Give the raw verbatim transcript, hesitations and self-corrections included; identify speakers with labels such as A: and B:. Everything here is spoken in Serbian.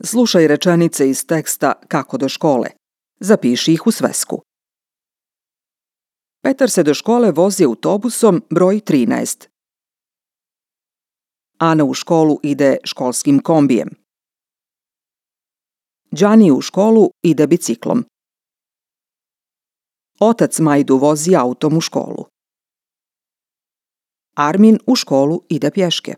A: Slušaj rečenice iz teksta Kako do škole. Zapiši ih u svesku. Petar se do škole vozi autobusom broj trinaest. Ana u školu ide školskim kombijem. Đani u školu ide biciklom. Otac Majdu vozi autom u školu. Armin u školu ide pješke.